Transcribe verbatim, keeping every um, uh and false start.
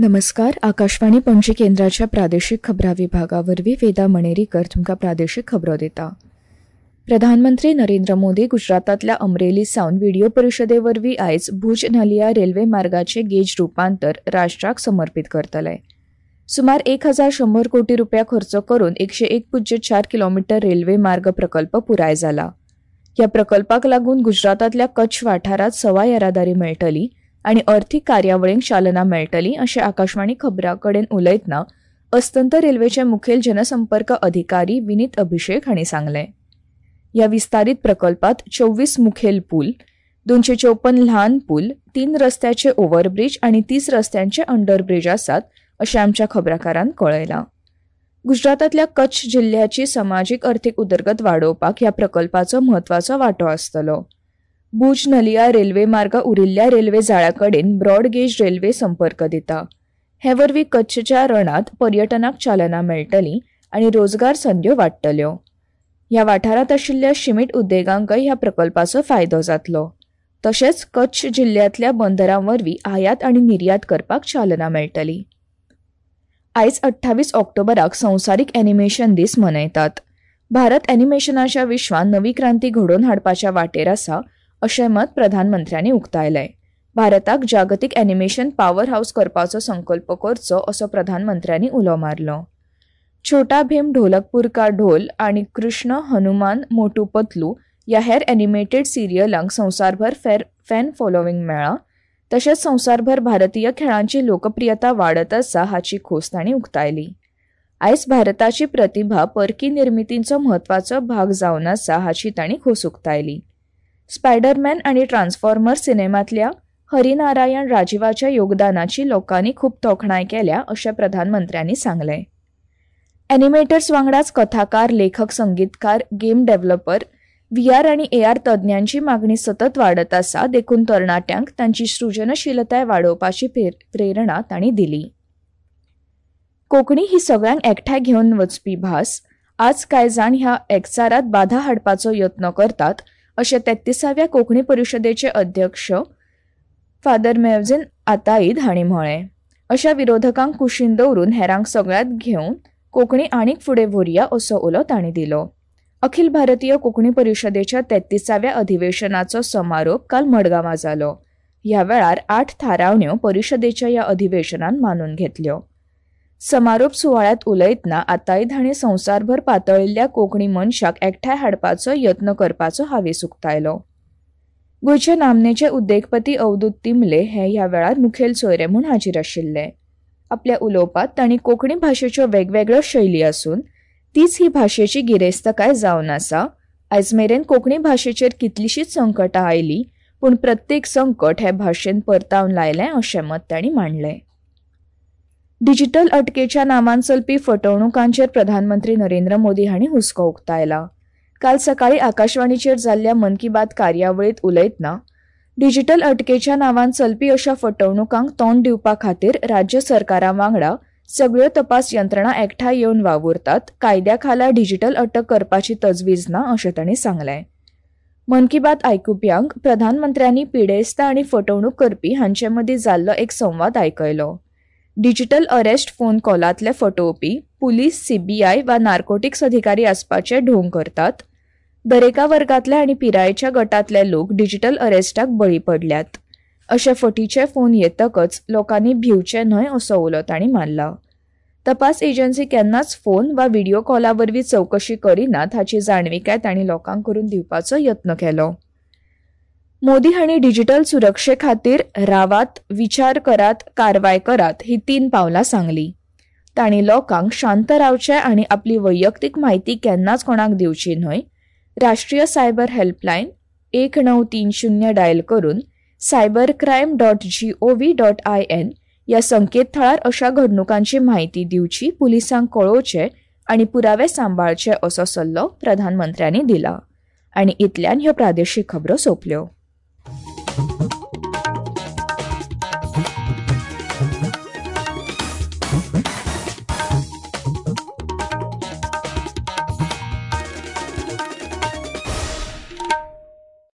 नमस्कार, आकाशवाणी पणजी केंद्राच्या प्रादेशीक खबरां विभागा वरवीं वेदा मणेरीकर तुमकां प्रादेशीक खबरो दिता. प्रधानमंत्री नरेंद्र मोदी गुजरातांतल्या अमरेली सावन व्हिडियो परिशदे वरवीं आयज भूज नलिया रेल्वे मार्गाचे गेज रुपांतर राष्ट्राक समर्पित करतले. सुमार एक हजार शंबर कोटी रुपया खर्च करून एकशे एक पुज्य चार किलोमिटर रेल्वे मार्ग प्रकल्प पुराय जाला. ह्या प्रकल्पाक लागून गुजरातांतल्या कच्छ वाठारांत सवाय येरादारी मेळटली आनी अर्थीक कार्यावळींक चालना मेळटली अशें आकाशवाणी खबरां कडेन उलयतना अस्तंत रेल्वेचे मुखेल जनसंपर्क अधिकारी विनीत अभिषेक हांणी सांगलें. ह्या विस्तारीत प्रकल्पात चोवीस मुखेल पूल, दोनशे चौपन ल्हान पूल, तीन रस्त्याचे ओव्हरब्रीज आनी तीस रस्त्यांचे अंडरब्रीज आसात अशें आमच्या खबराकारान कळयलां. गुजरातांतल्या कच्छ जिल्ह्याची समाजीक अर्थीक उदरगत वाडोवपाक ह्या प्रकल्पाचो म्हत्वाचो वांटो आसतलो. भूज नलिया रेल्वे मार्ग उरिल्ल्या रेल्वे जाळ्या कडेन ब्रॉडगेज रेल्वे संपर्क दिता. हे वरवीं कच्छच्या रणांत पर्यटनाक चालना मेळटली आनी रोजगार संद्यो वाडटल्यो. ह्या वाठारांत आशिल्ल्या शिमीट उद्देगांकय ह्या प्रकल्पाचो फायदो जातलो. तशेंच कच्छ जिल्ह्यांतल्या बंदरां वरवीं आयात आनी निर्यात करपाक चालना मेळटली. आयज अठ्ठावीस ऑक्टोबराक संवसारीक एनिमेशन दीस मनयतात. भारत एनिमेशनाच्या विश्वांत नवी क्रांती घडोवन हाडपाच्या वाटेर आसा अशें मत प्रधानमंत्र्यांनी उक्तायलें. भारताक जागतीक एनिमेशन पावर हावस करपाचो संकल्प करचो असो प्रधानमंत्र्यांनी उलो मारलो. छोटा भीम, ढोलकपूर का ढोल आनी कृष्ण, हनुमान, मोटू पतलू ह्या हेर एनिमेटेड सिरियलांक संवसारभर फेर फॅन फॉलोविंग मेळ्ळां. तशेंच संवसारभर भारतीय खेळांची लोकप्रियता वाडत आसा हाची खोस तांणी उक्तायली. आयज भारताची प्रतिभा परकी निर्मितींचो म्हत्वाचो भाग जावन आसा हाची तांणी खोस उक्तायली. स्पायडरमॅन आनी ट्रान्सफॉर्मर सिनेमांतल्या हरिनारायण राजीवाच्या योगदानाची लोकांनी खूब तोखणाय केल्या अशें प्रधानमंत्र्यांनी सांगलें. एनिमेटर्स वांगडाच कथाकार, लेखक, संगीतकार, गेम डेव्हलपर, व्ही आर आनी ए आर तज्ञांची मागणी सतत वाडत आसा देखून तरणाट्यांक तांची सृजनशीलताय वाडोवपाची प्रेरणा तांणी दिली. कोंकणी ही सगळ्यांक एकठांय घेवन वचपी भास. आज कांय जाण ह्या एकचारांत बाधा हाडपाचो यत्न करतात अशें तेत्तिसाव्या कोंकणी परिशदेचे अध्यक्ष फादर मेवझीन आताईद हांणी म्हळें. अशा विरोधकांक कुशीन दवरून हेरांक सगळ्यांत घेवन कोंकणी आनीक फुडें व्हरुया असो उलो तांणी दिलो. अखिल भारतीय कोंकणी परिशदेच्या तेत्तिसाव्या अधिवेशनाचो समारोप काल मडगांवां जालो. ह्या वेळार आठ थारावण्यो परिशदेच्या ह्या अधिवेशनान मानून घेतल्यो. समारोप सुवाळ्यांत उलयतना आताईद हांणी संवसारभर पातळिल्ल्या कोंकणी मनशाक एकठांय हाडपाचो यत्न करपाचो हावेस उक्तायलो. गोंयचे नामनेचे उद्देगपती अवधूत तिमले हे ह्या वेळार मुखेल सोयरे म्हूण हाजीर आशिल्ले. आपल्या उलोवपांत तांणी कोंकणी भाशेच्यो वेगवेगळ्यो शैली आसून तीच ही भाशेची गिरेस्तकाय जावन आसा. आयज मेरेन कोंकणी भाशेचेर कितलींशींच संकटां आयलीं पूण प्रत्येक संकट हे भाशेन परतावन लायलें अशें मत तांणी मांडलें. डिजिटल अटकेच्या नांवान चलपी फटवणुकांचेर प्रधानमंत्री नरेंद्र मोदी हांणी हुस्को उक्तायला. काल सकाळी आकाशवाणीचेर जाल्ल्या मन की बात कार्यावळींत उलयतना डिजिटल अटकेच्या नांवान चलपी अशा फटवणुकांक तोंड दिवपा खातीर राज्य सरकारां वांगडा सगळ्यो तपास यंत्रणा एकठांय येवन वावुरतात. कायद्या खाला डिजिटल अटक करपाची तजवीज ना अशें तांणी सांगलें. मन की बात आयकुप्यांक प्रधानमंत्र्यांनी पिडेस्त आनी फटवणूक करपी हांचे मदीं जाल्लो एक संवाद आयकयलो. डिजिटल अरेस्ट फोन कॉलांतले फटोवपी पुलीस, सीबीआय वा नार्कोटिक्स अधिकारी आसपाचे ढोंग करतात. दरेका वर्गांतले आनी पिरायेच्या गटांतले लोक डिजिटल अरेस्टाक बळी पडल्यात. अशे फटीचे फोन येतकच लोकांनी भिवचे न्हय असो उलो तांणी मारला. तपास एजन्सी केन्नाच फोन वा व्हिडियो कॉला वरवीं चवकशी करिनात हाची जाणविकाय तांणी लोकांक करून दिवपाचो यत्न केलो. मोदी हांणी डिजिटल सुरक्षे खातीर रावात, विचार करात, कारवाय करात ही तीन पावलां सांगली. तांणी लोकांक शांत रावचें आनी आपली वैयक्तीक म्हायती केन्नाच कोणाक दिवची न्हय. राष्ट्रीय सायबर हेल्पलायन एक णव तीन शून्य डायल करून cyber crime dot G O V dot I N ह्या संकेतथळार अशा घडणुकांची म्हायती दिवची, पुलिसांक कळोवचें आनी पुरावे सांबाळचे असो सल्लो प्रधानमंत्र्यांनी दिला. आनी इतल्यान ह्यो प्रादेशीक खबरो सोंपल्यो.